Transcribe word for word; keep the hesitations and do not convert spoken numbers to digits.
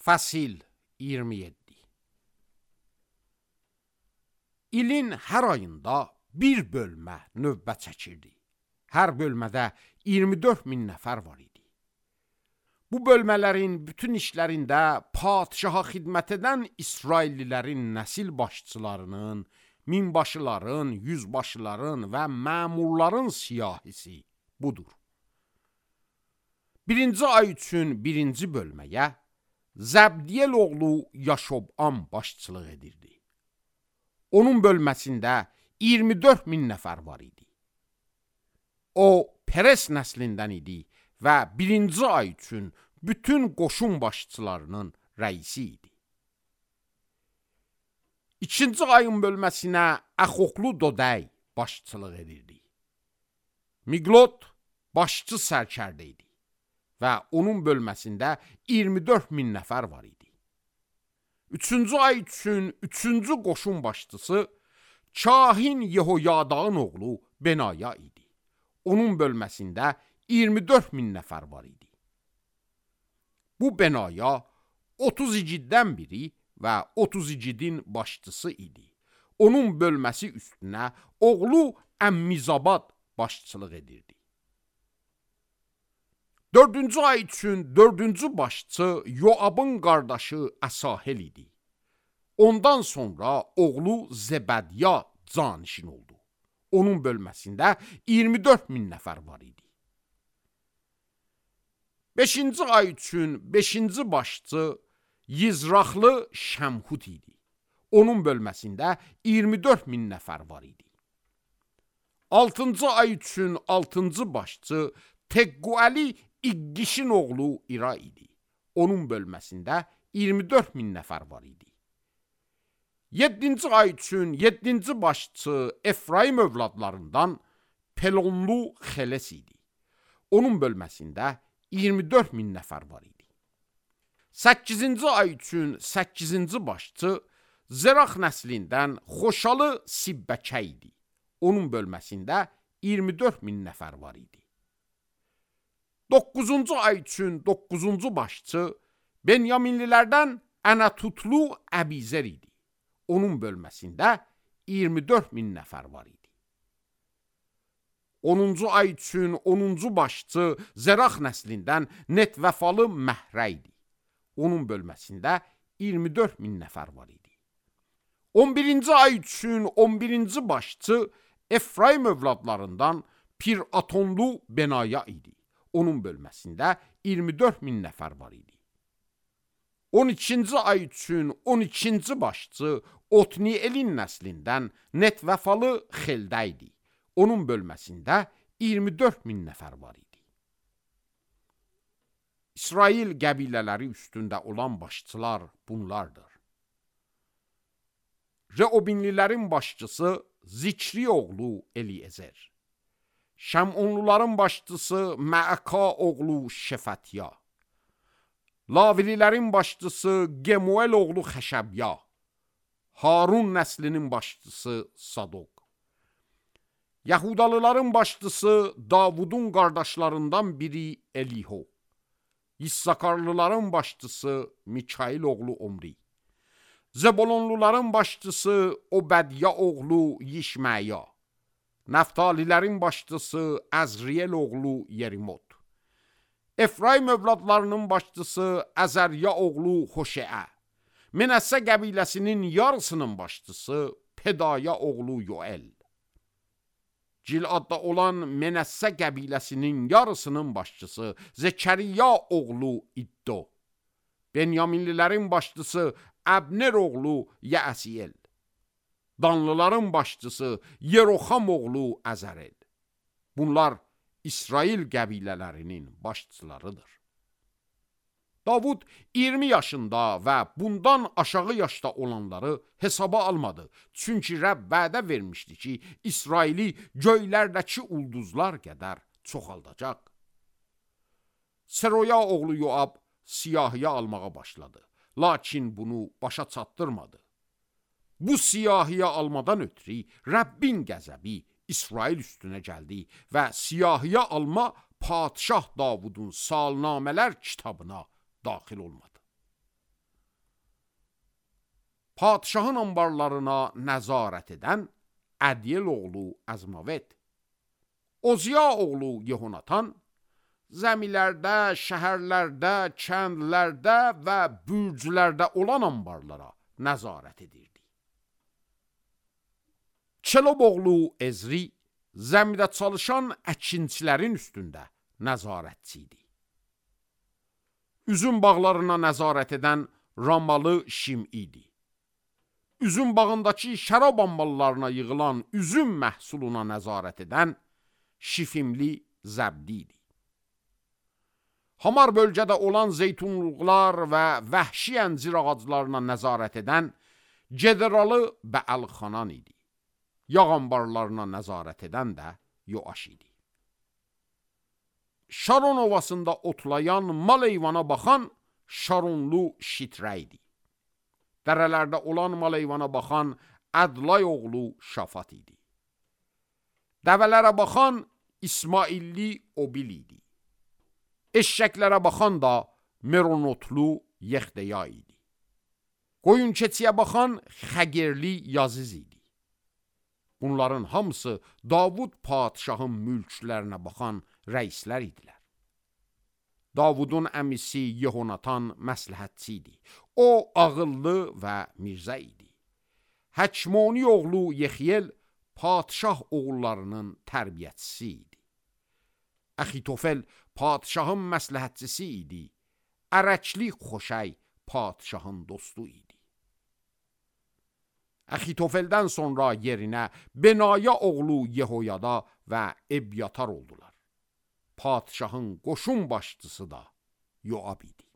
Fəsil iyirmi yeddi. İlin hər ayında bir bölmə növbə çəkirdi. Hər bölmədə iyirmi dörd min nəfər var idi. Bu bölmələrin bütün işlərində padişaha xidmət edən İsraillilərin nəsil başçılarının, minbaşıların, yüzbaşıların və məmurların siyahisi budur. Birinci ay üçün birinci bölməyə Zəbdiyel oğlu Yaşobam başçılıq edirdi. Onun bölməsində iyirmi dörd min nəfər var idi. O, Peres nəslindən idi və birinci ay üçün bütün qoşun başçılarının rəisi idi. İkinci ayın bölməsinə Əxoqlu Dodəy başçılıq edirdi. Miqlot başçı sərkərdə idi və onun bölməsində iyirmi dörd min nəfər var idi. Üçüncü ay üçün üçüncü qoşun başçısı Kahin Yehoyadağın oğlu Benaya idi. Onun bölməsində iyirmi dörd min nəfər var idi. Bu Benaya otuz igiddən biri və otuz igidin başçısı idi. Onun bölməsi üstünə oğlu Əmmizabad başçılıq edirdi. Dördüncü ay üçün dördüncü başçı Yoabın qardaşı Əsahel idi. Ondan sonra oğlu Zebədya canişin oldu. Onun bölməsində iyirmi dörd min nəfər var idi. Beşinci ay üçün beşinci başçı Yizraxlı Şəmhut idi. Onun bölməsində iyirmi dörd min nəfər var idi. Altıncı ay üçün altıncı başçı Tegguəli İqqişin oğlu İra idi. Onun bölməsində iyirmi dörd min nəfər var idi. Yeddinci ay üçün yeddinci başçı Efraim övladlarından Pelonlu Xeles idi. Onun bölməsində iyirmi dörd min nəfər var idi. Səkkizinci ay üçün səkkizinci başçı Zerax nəslindən Xoşalı Sibbəkə idi. Onun bölməsində iyirmi dörd min nəfər var idi. Doqquzuncu ay üçün doqquzuncu başçı Benyaminlilərdən Ənətutlu Əbizer idi. Onun bölməsində iyirmi dörd min nəfər var idi. onuncu ay üçün onuncu başçı Zerax nəslindən Netvəfalı Məhrə idi. Onun bölməsində iyirmi dörd min nəfər var idi. on birinci ay üçün on birinci başçı Efraim övladlarından Pir-Atonlu Benaya idi. Onun bölməsində iyirmi dörd min nəfər var idi. on ikinci ay üçün on ikinci başçı Otnielin nəslindən Netvəfalı Xeldə idi. Onun bölməsində iyirmi dörd min nəfər var idi. İsrail qəbilələri üstündə olan başçılar bunlardır. Reobinlilərin başçısı Zikri oğlu Eliezer. Şəmonluların başçısı Məəka oğlu Şefətya. Lavililərin başçısı Gemuel oğlu Xəşəbya. Harun nəslinin başçısı Sadok. Yahudalıların başçısı Davudun qardaşlarından biri Eliho. İssakarlıların başçısı Mikail oğlu Omri. Zebolonluların başçısı Obədya oğlu Yişməya. Nəftalilərin başçısı Əzriyel oğlu Yerimot. Efraim övladlarının başçısı Əzərya oğlu Xoşeə. Menəssə qəbiləsinin yarısının başçısı Pedaya oğlu Yoel. Giladda olan Menəssə qəbiləsinin yarısının başçısı Zekəriya oğlu İddo. Benyaminlilərin başçısı Əbner oğlu Yəsiel. Danlıların başçısı Yeroxam oğlu Əzərel. Bunlar İsrail qəbilələrinin başçılarıdır. Davud iyirmi yaşında və bundan aşağı yaşda olanları hesaba almadı. Çünki Rəbb vədə vermişdi ki, İsraili göylərdəki ulduzlar qədər çoxaldacaq. Seroya oğlu Yoab siyahiyə almağa başladı. Lakin bunu başa çatdırmadı. Bu siyahiyə almadan ötürü Rəbbin qəzəbi İsrail üstünə gəldi və siyahiyə alma padişah Davudun salnamələr kitabına daxil olmadı. Padşahın anbarlarına nəzarət edən Ədyel oğlu Əzmavet, Oziya oğlu Yehonatan, zəmilərdə, şəhərlərdə, kəndlərdə və bürclərdə olan anbarlara nəzarət edirdi. Çelob oğlu Ezri, zəmidə çalışan əkinçilərin üstündə nəzarətçi idi. Üzüm bağlarına nəzarət edən Ramalı Şim idi. Üzüm bağındakı şərab amballarına yığılan üzüm məhsuluna nəzarət edən Şifimli Zəbdi idi. Hamar bölgədə olan zeytunluqlar və vəhşi əncir ağaclarına nəzarət edən Gederalı Bəəlxanan idi. Yağ ambarlarına nəzarət edən də Yoaş idi. Şaron ovasında otlayan, mal eyvana baxan Şaronlu Şitrə idi. Dərələrdə olan mal eyvana baxan Ədlay oğlu Şafat idi. Dəvələrə baxan İsmailli Obil idi. Eşşəklərə baxan da Meronotlu Yexdeya idi. Qoyun keçiyə baxan Xəgerli Yaziz idi. Bunların hamısı Davud padşahın mülklərinə baxan rəislər idilər. Davudun əmisi Yehonatan məsləhətçi idi. O, ağıllı və mirzə idi. Həkmoni oğlu Yexiyel padşah oğullarının tərbiyətçisi idi. Əxitofel padşahın məsləhətçisi idi. Ərəkli Xoşəy padşahın dostu idi. Əxitofeldən sonra yerinə Benaya oğlu Yehoyada və Ebyatar oldular. Padşahın qoşun başçısı da Yoab idi.